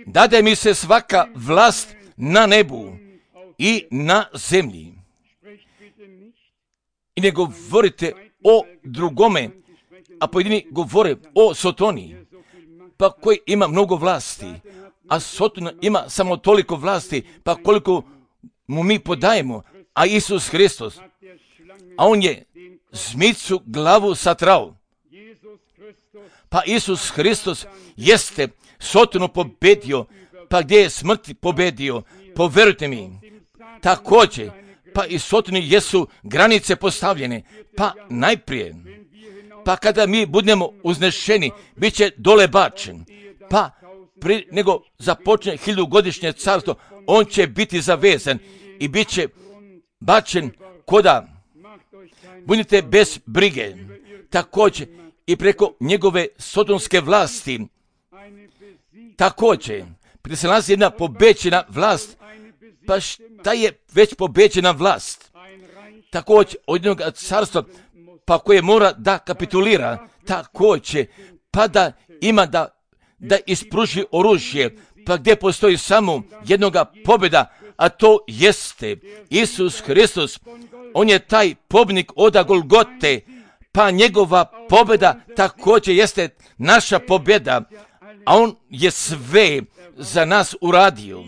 dade mi se svaka vlast na nebu i na zemlji. I ne govorite o drugome, a pojedini govore o Sotoni, pa koji ima mnogo vlasti, a Sotona ima samo toliko vlasti, pa koliko mu mi podajemo, a Isus Hristos, a on je zmicu glavu satrao. Pa Isus Hristos jeste Sotonu pobedio, pa gdje je smrt pobedio, poverujte mi, također, pa i Sotoni jesu granice postavljene, pa najprije, pa kada mi budemo uznešeni, bit će dole bačen, pa pri nego započne hiljadugodišnje carstvo, on će biti zavezan i bit će bačen koda, budite bez brige, također i preko njegove sotonske vlasti, također, prije se nalazi jedna pobeđena vlast, pa šta je već pobeđena vlast? Također od jednog carstva, pa koje mora da kapitulira, također, pa da ima da, da ispruži oružje, pa gdje postoji samo jednoga pobjeda, a to jeste Isus Hristos. On je taj pobjednik od Golgote, pa njegova pobjeda također jeste naša pobjeda, a on je sve za nas uradio.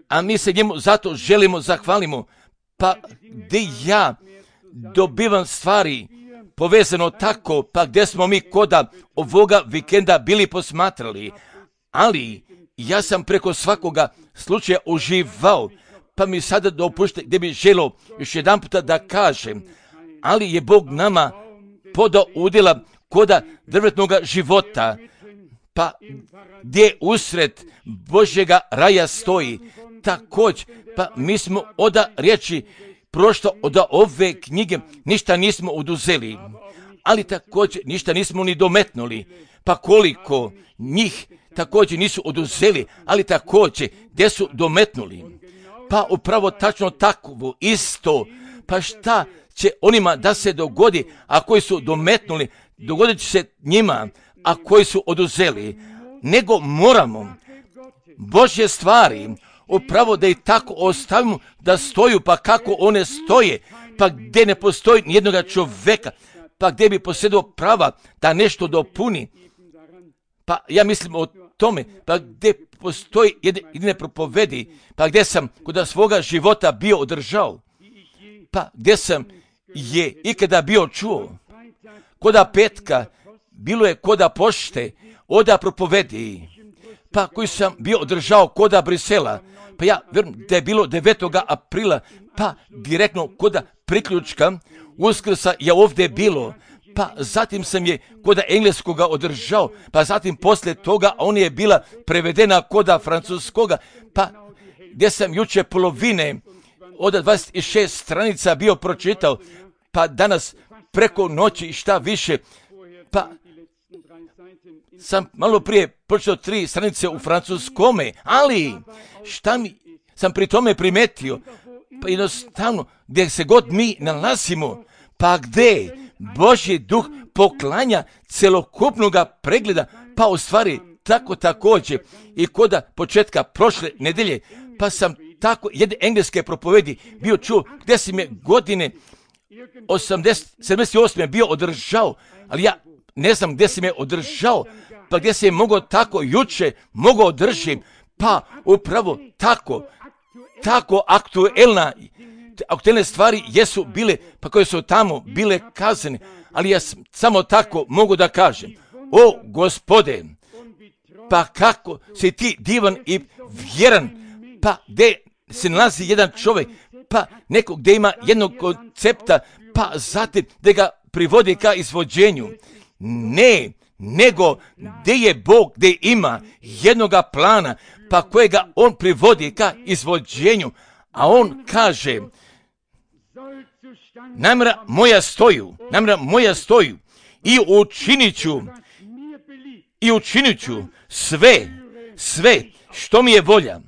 A mi se njemu zato želimo, zahvalimo, pa gdje ja dobivam stvari povezano tako, pa gdje smo mi koda ovoga vikenda bili posmatrali, ali ja sam preko svakoga slučaja uživao, pa mi sada dopušte gdje bi želo još jedan puta da kažem, ali je Bog nama podao udjela koda drvetnoga života, pa gdje usred Božjega raja stoji, također, pa mi smo oda riječi prošto od ove knjige ništa nismo oduzeli, ali također ništa nismo ni dometnuli, pa koliko njih također nisu oduzeli, ali također gdje su dometnuli, pa upravo tačno takvo isto, pa šta će onima da se dogodi, a koji su dometnuli, dogodit će se njima, a koji su oduzeli, nego moramo Božje stvari upravo da i tako ostavimo da stoju, pa kako one stoje, pa gdje ne postoji nijednoga čovjeka, pa gdje bi posjedao prava da nešto dopuni, pa ja mislim o tome, pa gdje postoji jedine propovedi, pa gdje sam kod svoga života bio održao, pa gdje sam je ikada bio čuo, koda petka, bilo je koda pošte, oda propovedi, pa koji sam bio održao koda Brisela, pa ja vjerujem da je bilo devetoga aprila, pa direktno koda priključka Uskrsa je ovdje bilo, pa zatim sam je koda engleskoga održao, pa zatim poslije toga on je bila prevedena koda francuskoga, pa gdje sam juče polovine od dvadeset šest stranica bio pročitao, pa danas preko noći i šta više, pa sam malo prije pročitao tri stranice u francuskome, ali šta mi sam pri tome primetio, pa jednostavno gdje se god mi nalazimo, pa gdje Božji duh poklanja celokupnoga pregleda, pa u stvari tako također i koda početka prošle nedelje, pa sam tako jedne engleske propovedi bio čuo gdje si me godine osamdeset, sedamdeset osme bio održao, ali ja ne znam gdje si me održao, pa gdje se je mogao tako juče, mogao održim, pa upravo tako, tako aktuelna, aktuelne stvari jesu bile, pa koje su tamo bile kazane, ali ja samo tako mogu da kažem, o Gospode, pa kako si ti divan i vjeran, pa gdje se nalazi jedan čovjek, pa neko gdje ima jednog koncepta, pa zatim da ga privodi ka izvođenju. Ne, nego gdje je Bog, gdje ima jednoga plana, pa kojega on privodi ka izvođenju, a on kaže, namjera moja stoju, namjera moja stoju i učinit ću, i učinit ću sve, sve što mi je volja.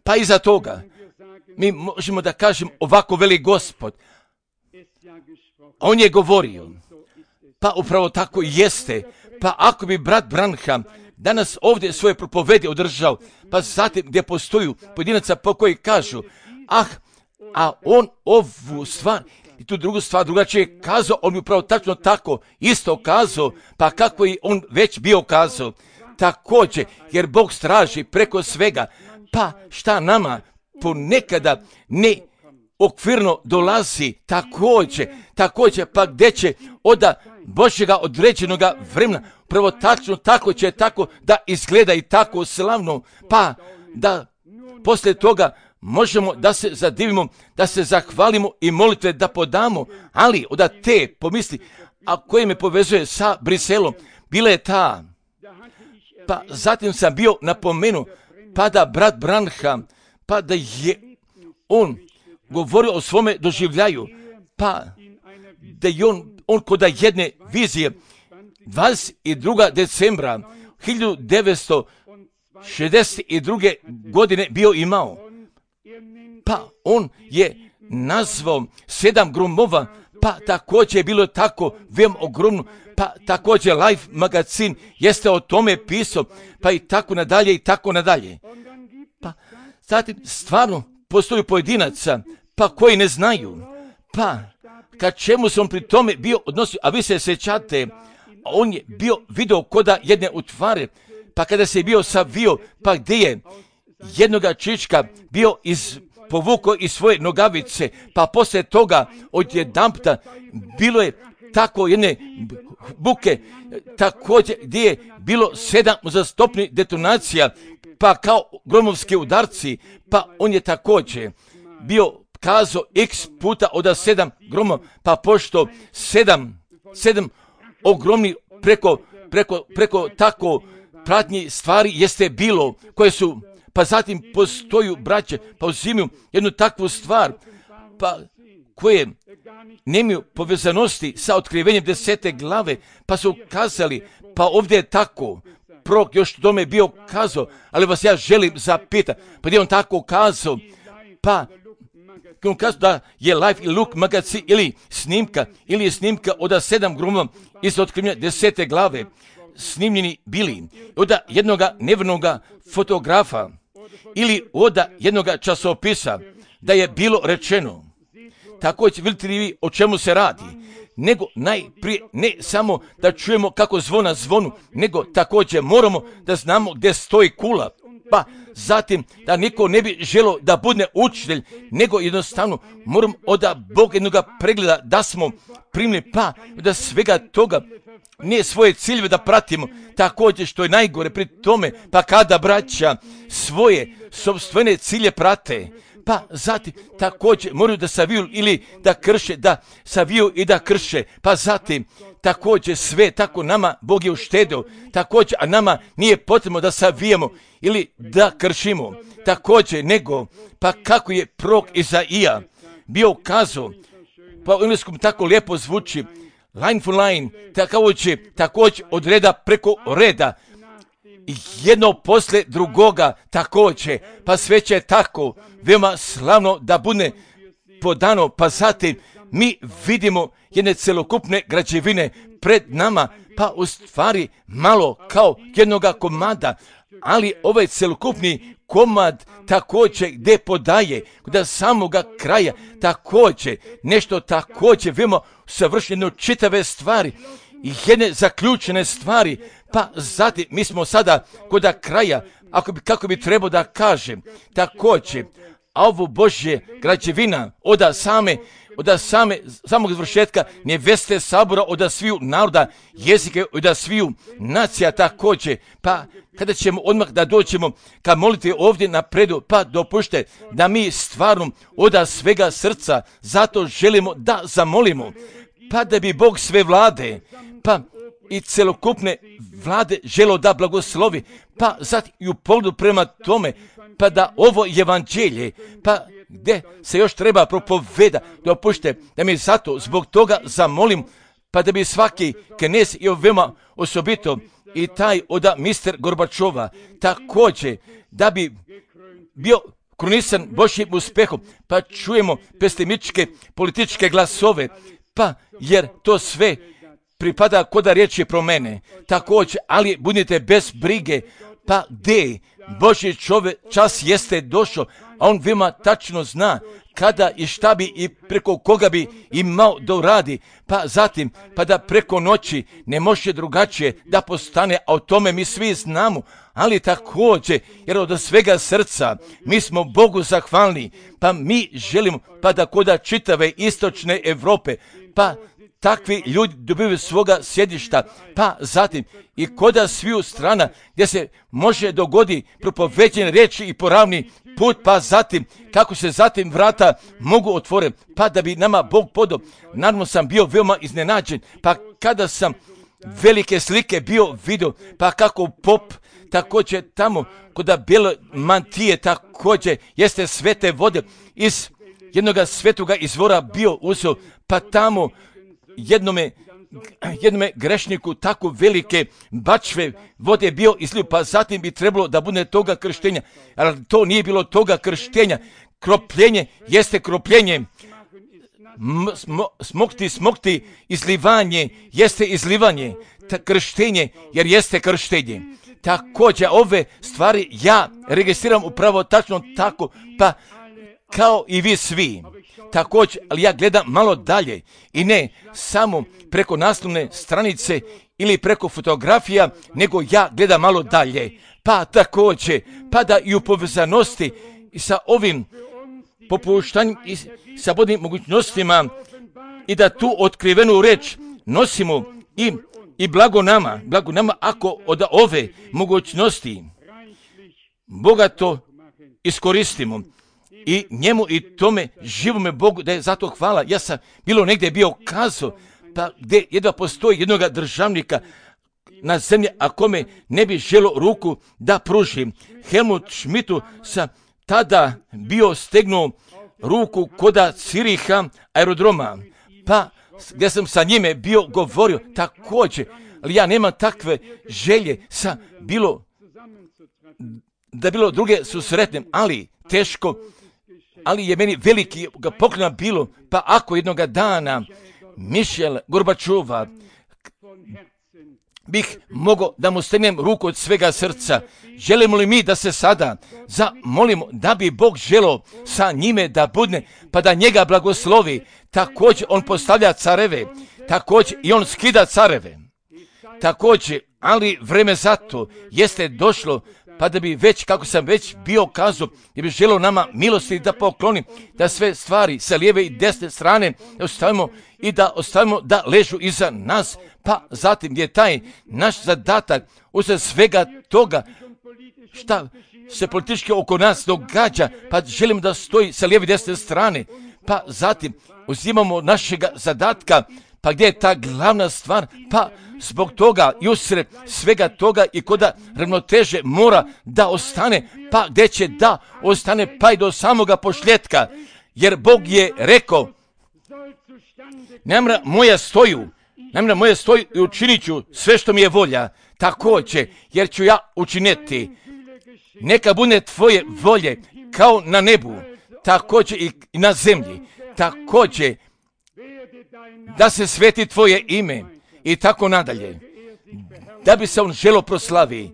Pa iza toga mi možemo da kažem ovako veli Gospod. On je govorio, pa upravo tako jeste, pa ako bi brat Branham danas ovdje svoje propovedi održao, pa zatim gdje postoju pojedinaca po koji kažu, ah, a on ovu stvar i tu drugu stvar drugačije kazao, on bi upravo tačno tako isto kazao, pa kako i on već bio kazao, također, jer Bog straži preko svega, pa šta nama ponekada ne okvirno dolazi, također, također, pa gdje će oda Božjega određenoga vremena, prvo tačno tako će tako da izgleda i tako slavno, pa da poslije toga možemo da se zadivimo, da se zahvalimo i molitve da podamo, ali oda te pomisli, a koje me povezuje sa Briselom, bila je ta, pa zatim sam bio napomenuo, pa da brat Branham, pa da je on govorio o svome doživljaju, pa da je on, on kod jedne vizije dvadeset drugog decembra hiljadu devetsto šezdeset druge godine bio imao, pa on je nazvao sedam gromova, pa također je bilo tako veoma ogromno, pa također Life magazin jeste o tome pisao, pa i tako nadalje i tako nadalje. Pa zatim stvarno postoji pojedinaca, pa koji ne znaju, pa ka čemu se on pri tome bio odnosio, a vi se sjećate, on je bio video koda jedne utvare, pa kada se je bio savio, pa gdje je jednoga čička bio iz povukao iz svoje nogavice, pa poslije toga odjedanputa bilo je tako jedne buke, također gdje je bilo sedam uzastopnih detonacija, pa kao gromovski udarci, pa on je također bio kazao x puta od sedam gromova, pa pošto sedam, sedam ogromni preko, preko, preko tako pratnji stvari jeste bilo, koje su, pa zatim postoju braće, pa uzimaju jednu takvu stvar, pa koje nemaju povezanosti sa otkrivenjem desete glave, pa su kazali, pa ovdje je tako, prorok još tome bio kazao, ali vas ja želim zapitati, pa gdje on tako kazao, pa on kazao da je Life i Look magazin ili snimka, ili je snimka od sedam gromova iz otkrivenja desete glave, snimljeni bili od jednoga nevrnoga fotografa ili od jednoga časopisa, da je bilo rečeno, također vidite li vi o čemu se radi, nego najprije ne samo da čujemo kako zvona zvonu, nego također moramo da znamo gdje stoji kula, pa zatim da niko ne bi želo da bude učitelj, nego jednostavno moramo od Boga jednoga pregleda da smo primili, pa da svega toga nije svoje ciljeve da pratimo, također što je najgore pri tome, pa kada braća svoje sopstvene cilje prate, pa zatim također moraju da saviju ili da krše, da saviju i da krše, pa zatim također sve tako nama Bog je uštedeo, također, a nama nije potrebno da savijemo ili da kršimo, također nego, pa kako je prorok Izaija bio kazao, pa u engleskom tako lijepo zvuči, line for line, također, također od reda preko reda, jedno posle drugoga također, pa sve će tako veoma slavno da bude podano, pa zatim mi vidimo jedne celokupne građevine pred nama, pa u stvari malo kao jednoga komada, ali ovaj celokupni komad također gdje podaje do samoga kraja također nešto također veoma savršeno čitave stvari i jedne zaključene stvari, pa zatim mi smo sada kod kraja, ako bi, kako bi trebao da kažem, također, a ovo Božje građevina od same, od same, samog završetka neveste sabora, od sviju naroda, jezike, od sviju nacija također, pa kada ćemo odmah da dođemo ka moliti ovdje napredu, pa dopušte da mi stvarno od svega srca zato želimo da zamolimo, pa da bi Bog sve vlade, pa i celokupne vlade želo da blagoslovi, pa zatim i u pogledu prema tome, pa da ovo evanđelje, pa gdje se još treba propoveda, dopušte da mi zato zbog toga zamolim, pa da bi svaki knez i veoma osobito i taj od mister Gorbačova također da bi bio krunisan Božjim uspehom, pa čujemo pesimističke političke glasove, pa jer to sve pripada koda riječi pro mene, također, ali budite bez brige, pa gdje Božji čovjek čas jeste došao, a on veoma tačno zna kada i šta bi i preko koga bi imao da uradi, pa zatim, pa da preko noći ne može drugačije da postane, a o tome mi svi znamo, ali također, jer od svega srca mi smo Bogu zahvalni, pa mi želimo, pa da koda čitave istočne Europe, pa takvi ljudi dobivaju svoga sjedišta, pa zatim i koda sviju strana gdje se može dogodi propoveđen riječi i poravni put, pa zatim kako se zatim vrata mogu otvoriti, pa da bi nama Bog podao. Naravno sam bio veoma iznenađen, pa kada sam velike slike bio vidio, pa kako pop također tamo koda bijele mantije također jeste svete vode iz jednoga svetoga izvora bio uzeo, pa tamo jednome, jednome grešniku tako velike bačve vode bio izlio, pa zatim bi trebalo da bude toga krštenja, ali to nije bilo toga krštenja. Kropljenje jeste kropljenje, Smo, smokti, smokti, izlivanje jeste izlivanje, ta krštenje jer jeste krštenje. Također ove stvari ja registriram upravo tačno tako, pa kao i vi svi. Također, ali ja gledam malo dalje i ne samo preko naslovne stranice ili preko fotografija, nego ja gledam malo dalje. Pa također, pa da i u povezanosti i sa ovim popuštanjem i sa bodnim mogućnostima i da tu otkrivenu reč nosimo i, i blago nama, blago nama ako od ove mogućnosti bogato iskoristimo i njemu i tome živome Bogu da je zato hvala. Ja sam bilo negdje bio kazao, pa gdje jedva postoji jednoga državnika na zemlji, a kome ne bi želo ruku da pruži. Helmut Schmidtu sam tada bio stegnuo ruku koda Ciriha aerodroma, pa gdje sam sa njime bio govorio također, ali ja nemam takve želje sa bilo, da bilo druge susretnem, ali teško, ali je meni veliki ga poklona bilo, pa ako jednoga dana Mišel Gorbačova bih mogao da mu stegnem ruku od svega srca. Želimo li mi da se sada zamolimo da bi Bog želeo sa njime da budne, pa da njega blagoslovi. Također on postavlja careve, također i on skida careve. Također, ali vreme zato jeste došlo, pa da bi već, kako sam već bio kazao, da bi želeo nama milosti da pokloni, da sve stvari sa lijeve i desne strane ostavimo i da ostavimo da ležu iza nas, pa zatim je taj naš zadatak usred svega toga šta se politički oko nas događa, pa želimo da stoji sa lijeve i desne strane, pa zatim uzimamo našega zadatka, pa gdje je ta glavna stvar, pa zbog toga i usred svega toga i koda ravnoteže mora da ostane, pa gdje će da ostane pa i do samoga pošljetka, jer Bog je rekao, namjera moja stoju, namjera moja stoju i učinit ću sve što mi je volja, također, jer ću ja učiniti, neka bude tvoje volje kao na nebu, također i na zemlji, također da se sveti tvoje ime i tako nadalje, da bi se on želo proslavi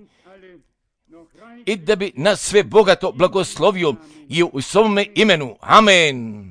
i da bi nas sve bogato blagoslovio i u svome imenu. Amen.